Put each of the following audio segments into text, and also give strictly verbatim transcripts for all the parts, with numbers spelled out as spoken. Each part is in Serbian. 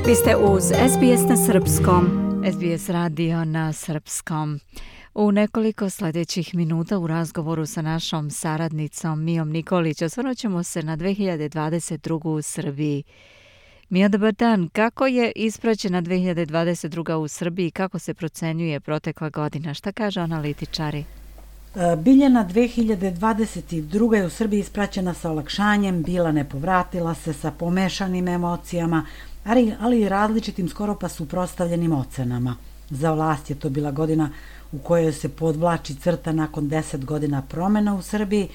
Vi ste uz S B S na srpskom. S B S radio na srpskom. U nekoliko sljedećih minuta u razgovoru sa našom saradnicom Mijom Nikolić osvrnut ćemo se na dve hiljade dvadeset drugu. u Srbiji. Mija, dobar dan. Kako je ispraćena dve hiljade dvadeset druga. u Srbiji? Kako se procenjuje protekla godina? Šta kaže analitičari? Biljana dve hiljade dvadeset druga. je u Srbiji ispraćena sa olakšanjem, bila ne povratila se sa pomešanim emocijama, ali, ali i različitim skoro pa suprotstavljenim ocenama. Za vlast je to bila godina u kojoj se podvlači crta nakon deset godina promjena u Srbiji,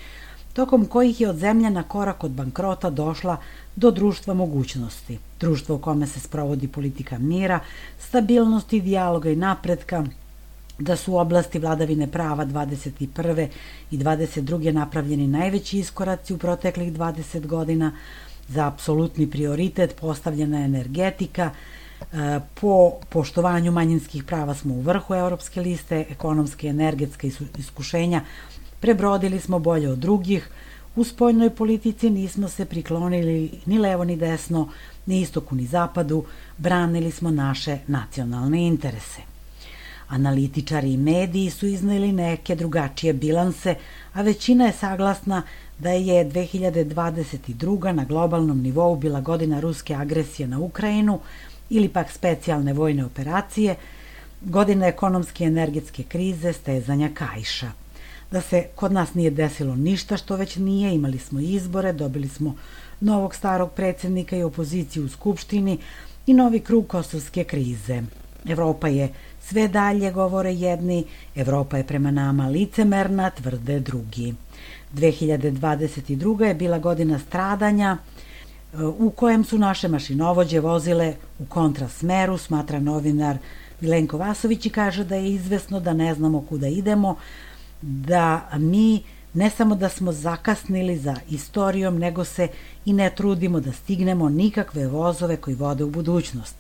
tokom kojih je od zemlje na korak od bankrota došla do društva mogućnosti. Društvo u kome se sprovodi politika mira, stabilnosti, dijaloga i napretka, da su u oblasti vladavine prava dvadeset prve. i dvadeset druge. napravljeni najveći iskoraci u proteklih dvadeset godina, za apsolutni prioritet postavljena je energetika, po poštovanju manjinskih prava smo u vrhu evropske liste, ekonomske i energetske iskušenja prebrodili smo bolje od drugih, u spoljnoj politici nismo se priklonili ni levo ni desno, ni istoku ni zapadu, branili smo naše nacionalne interese. Analitičari i mediji su izneli neke drugačije bilanse, a većina je saglasna da je dve hiljade dvadeset druga. na globalnom nivou bila godina ruske agresije na Ukrajinu ili pak specijalne vojne operacije, godina ekonomske i energetske krize, stezanja kaiša. Da se kod nas nije desilo ništa što već nije, imali smo izbore, dobili smo novog starog predsjednika i opoziciju u Skupštini i novi krug kosovske krize. Evropa je sve dalje, govore jedni, Evropa je prema nama licemerna, tvrde drugi. dve hiljade dvadeset druga. je bila godina stradanja u kojem su naše mašinovođe vozile u kontrasmeru, smatra novinar Milenko Vasović i kaže da je izvesno da ne znamo kuda idemo, da mi ne samo da smo zakasnili za istorijom, nego se i ne trudimo da stignemo nikakve vozove koji vode u budućnost.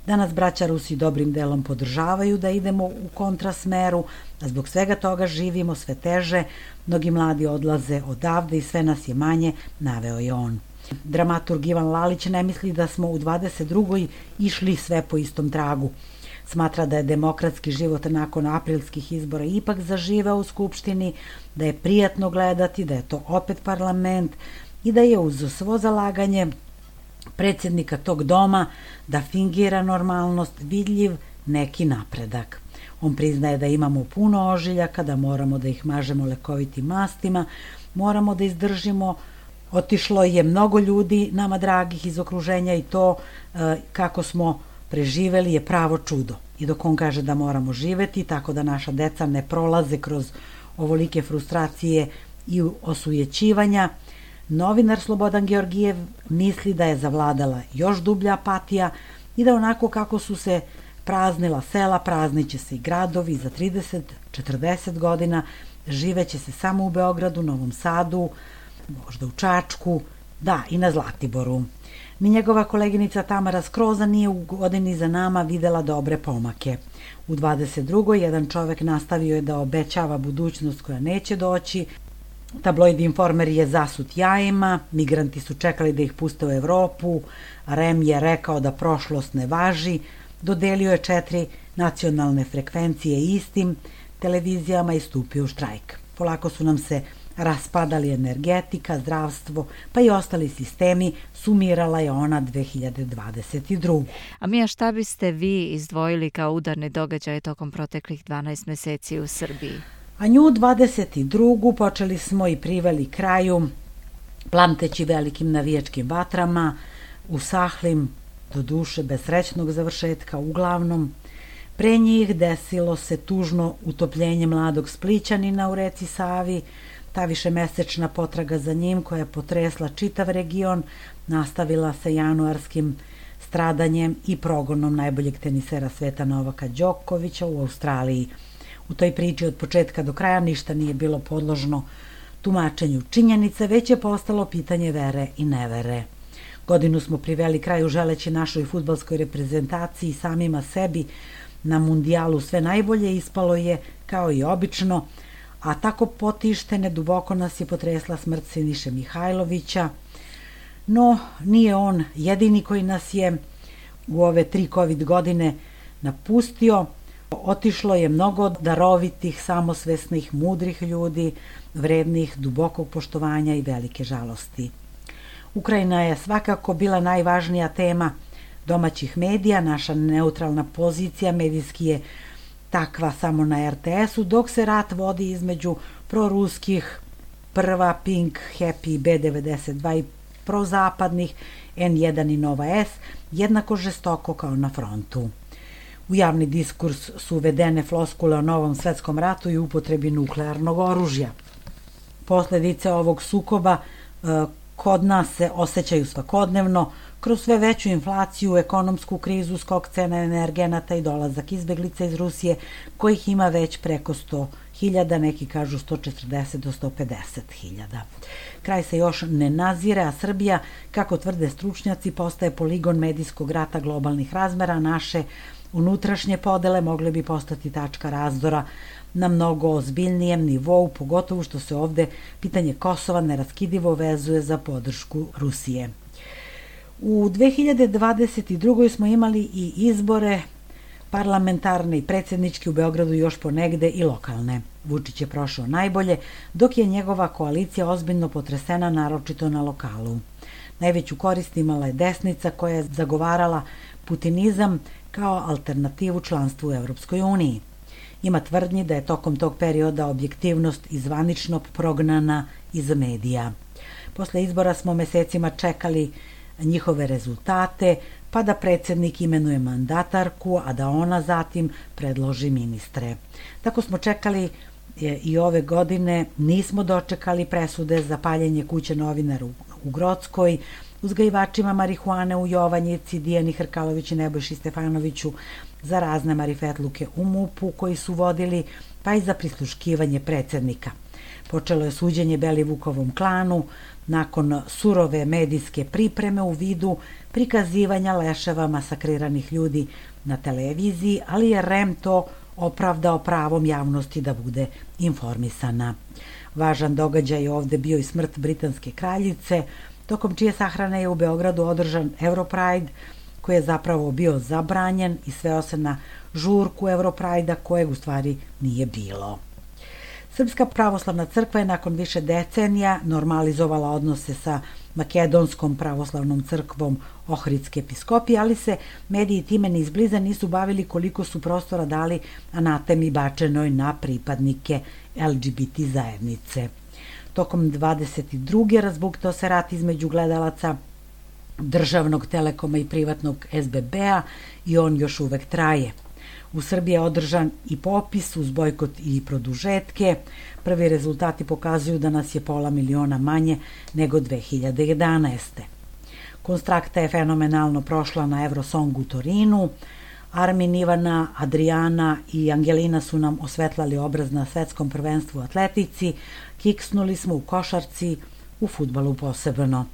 Danas braća Rusi dobrim delom podržavaju da idemo u kontrasmeru, a zbog svega toga živimo sve teže, mnogi mladi odlaze odavde i sve nas je manje, naveo je on. Dramaturg Ivan Lalić ne misli da smo u dvadeset drugoj. išli sve po istom tragu. Smatra da je demokratski život nakon aprilskih izbora ipak zaživeo u Skupštini, da je prijatno gledati, da je to opet parlament i da je uz svo zalaganje predsjednika tog doma da fingira normalnost vidljiv neki napredak. On priznaje da imamo puno ožiljaka, da moramo da ih mažemo lekovitim mastima, moramo da izdržimo. Otišlo je mnogo ljudi nama dragih iz okruženja i to e, kako smo preživeli je pravo čudo. I dok on kaže da moramo živeti tako da naša deca ne prolaze kroz ovolike frustracije i osujećivanja, novinar Slobodan Georgijev misli da je zavladala još dublja apatija i da onako kako su se praznila sela, prazniće se i gradovi, za trideset do četrdeset godina živeće se samo u Beogradu, Novom Sadu, možda u Čačku, da i na Zlatiboru. Ni njegova koleginica Tamara Skroza nije u godini za nama videla dobre pomake. U dvadeset drugoj. jedan čovek nastavio je da obećava budućnost koja neće doći. Tabloid Informer je zasut jajima, migranti su čekali da ih puste u Evropu, Rem je rekao da prošlost ne važi, dodelio je četiri nacionalne frekvencije istim televizijama i stupio u štrajk. Polako su nam se raspadali energetika, zdravstvo, pa i ostali sistemi, sumirala je ona dve hiljade dvadeset druge. A Mija, šta biste vi izdvojili kao udarne događaje tokom proteklih dvanaest meseci u Srbiji? A nju dvadeset drugu. počeli smo i priveli kraju, plamteći velikim navijačkim vatrama, usahlim, do duše bez srećnog završetka, uglavnom. Pre njih desilo se tužno utopljenje mladog Splićanina u reci Savi, ta višemesečna potraga za njim koja je potresla čitav region, nastavila se januarskim stradanjem i progonom najboljeg tenisera sveta Novaka Đokovića u Australiji. U toj priči od početka do kraja ništa nije bilo podložno tumačenju činjenice, već je postalo pitanje vere i nevere. Godinu smo priveli kraju želeći našoj fudbalskoj reprezentaciji i samima sebi na mundijalu sve najbolje, ispalo je kao i obično, a tako potištene duboko nas je potresla smrt Siniše Mihajlovića, no nije on jedini koji nas je u ove tri COVID godine napustio. Otišlo je mnogo darovitih, samosvesnih, mudrih ljudi, vrednih, dubokog poštovanja i velike žalosti. Ukrajina je svakako bila najvažnija tema domaćih medija, naša neutralna pozicija medijski je takva samo na er te esu, dok se rat vodi između proruskih Prva, Pink, Happy, be devedeset dva i prozapadnih en jedan i Nova S, jednako žestoko kao na frontu. U javni diskurs su uvedene floskule o novom svetskom ratu i upotrebi nuklearnog oružja. Posledice ovog sukoba e, kod nas se osjećaju svakodnevno, kroz sve veću inflaciju, ekonomsku krizu, skok cena energenata i dolazak izbeglica iz Rusije, kojih ima već preko sto hiljada, neki kažu sto četrdeset do sto pedeset hiljada. Kraj se još ne nazire, a Srbija, kako tvrde stručnjaci, postaje poligon medijskog rata globalnih razmera. Naše unutrašnje podele mogle bi postati tačka razdora na mnogo ozbiljnijem nivou, pogotovo što se ovde pitanje Kosova neraskidivo vezuje za podršku Rusije. U dve hiljade dvadeset drugoj smo imali i izbore parlamentarne i predsjedničke u Beogradu, još ponegde i lokalne. Vučić je prošao najbolje, dok je njegova koalicija ozbiljno potresena, naročito na lokalu. Najveću korist imala je desnica koja je zagovarala putinizam kao alternativu članstvu u Evropskoj uniji. Ima tvrdnji da je tokom tog perioda objektivnost izvanično prognana iz medija. Posle izbora smo mesecima čekali njihove rezultate, pa da predsjednik imenuje mandatarku, a da ona zatim predloži ministre. Tako smo čekali i ove godine, nismo dočekali presude za paljenje kuće novinara u Grockoj, uzgajivačima marihuane u Jovanjici, Dijani Hrkalović i Nebojši Stefanoviću, za razne marifetluke u MUP-u koji su vodili, pa i za prisluškivanje predsjednika. Počelo je suđenje Belivukovom klanu nakon surove medijske pripreme u vidu prikazivanja leševa masakriranih ljudi na televiziji, ali je er e em to opravdao pravom javnosti da bude informisana. Važan događaj je ovde bio i smrt britanske kraljice, tokom čije sahrane je u Beogradu održan Europride, koji je zapravo bio zabranjen i sveo se na žurku Europride-a kojeg u stvari nije bilo. Srpska pravoslavna crkva je nakon više decenija normalizovala odnose sa Makedonskom pravoslavnom crkvom Ohridske episkopije, ali se mediji time ni izbliza nisu bavili koliko su prostora dali anatemi bačenoj na pripadnike el ge be te zajednice. Tokom dvadeset druge razbuktao se rat između gledalaca državnog Telekoma i privatnog es be be-a i on još uvek traje. U Srbiji je održan i popis uz bojkot i produžetke. Prvi rezultati pokazuju da nas je pola miliona manje nego dve hiljade jedanaeste. Konstrakta je fenomenalno prošla na Eurosong u Torinu. Armin, Ivana, Adriana i Angelina su nam osvetlali obraz na svetskom prvenstvu u atletici, kiksnuli smo u košarci, u fudbalu posebno.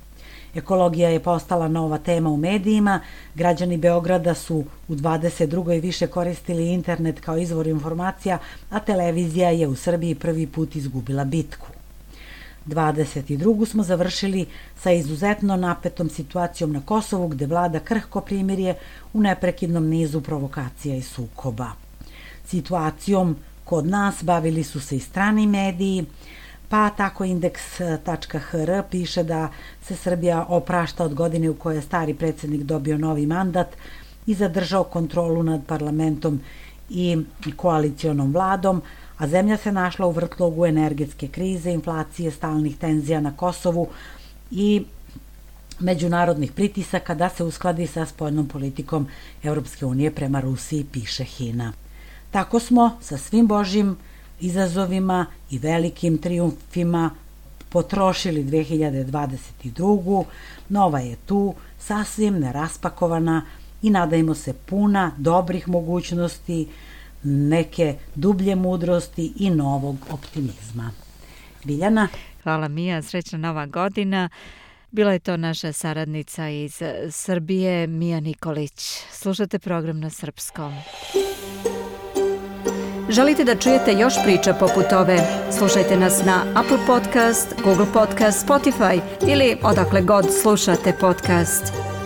Ekologija je postala nova tema u medijima, građani Beograda su u dvadeset drugoj više koristili internet kao izvor informacija, a televizija je u Srbiji prvi put izgubila bitku. dvadeset drugu smo završili sa izuzetno napetom situacijom na Kosovu, gde vlada krhko primirje u neprekidnom nizu provokacija i sukoba. Situacijom kod nas bavili su se i strani mediji, pa tako indeks tačka ha er piše da se Srbija oprašta od godine u kojoj je stari predsjednik dobio novi mandat i zadržao kontrolu nad parlamentom i koalicionom vladom, a zemlja se našla u vrtlogu energetske krize, inflacije, stalnih tenzija na Kosovu i međunarodnih pritisaka da se uskladi sa spoljnom politikom Evropske unije prema Rusiji, piše Hina. Tako smo sa svim božjim izazovima i velikim trijumfima potrošili dve hiljade dvadeset drugu. Nova je tu, sasvim neraspakovana i nadajmo se puna dobrih mogućnosti, neke dublje mudrosti i novog optimizma. Biljana? Hvala Mija, srećna nova godina. Bila je to naša saradnica iz Srbije, Mija Nikolić. Slušate program na srpskom. Želite da čujete još priča poput ove? Slušajte nas na Apple Podcast, Google Podcast, Spotify ili odakle god slušate podcast.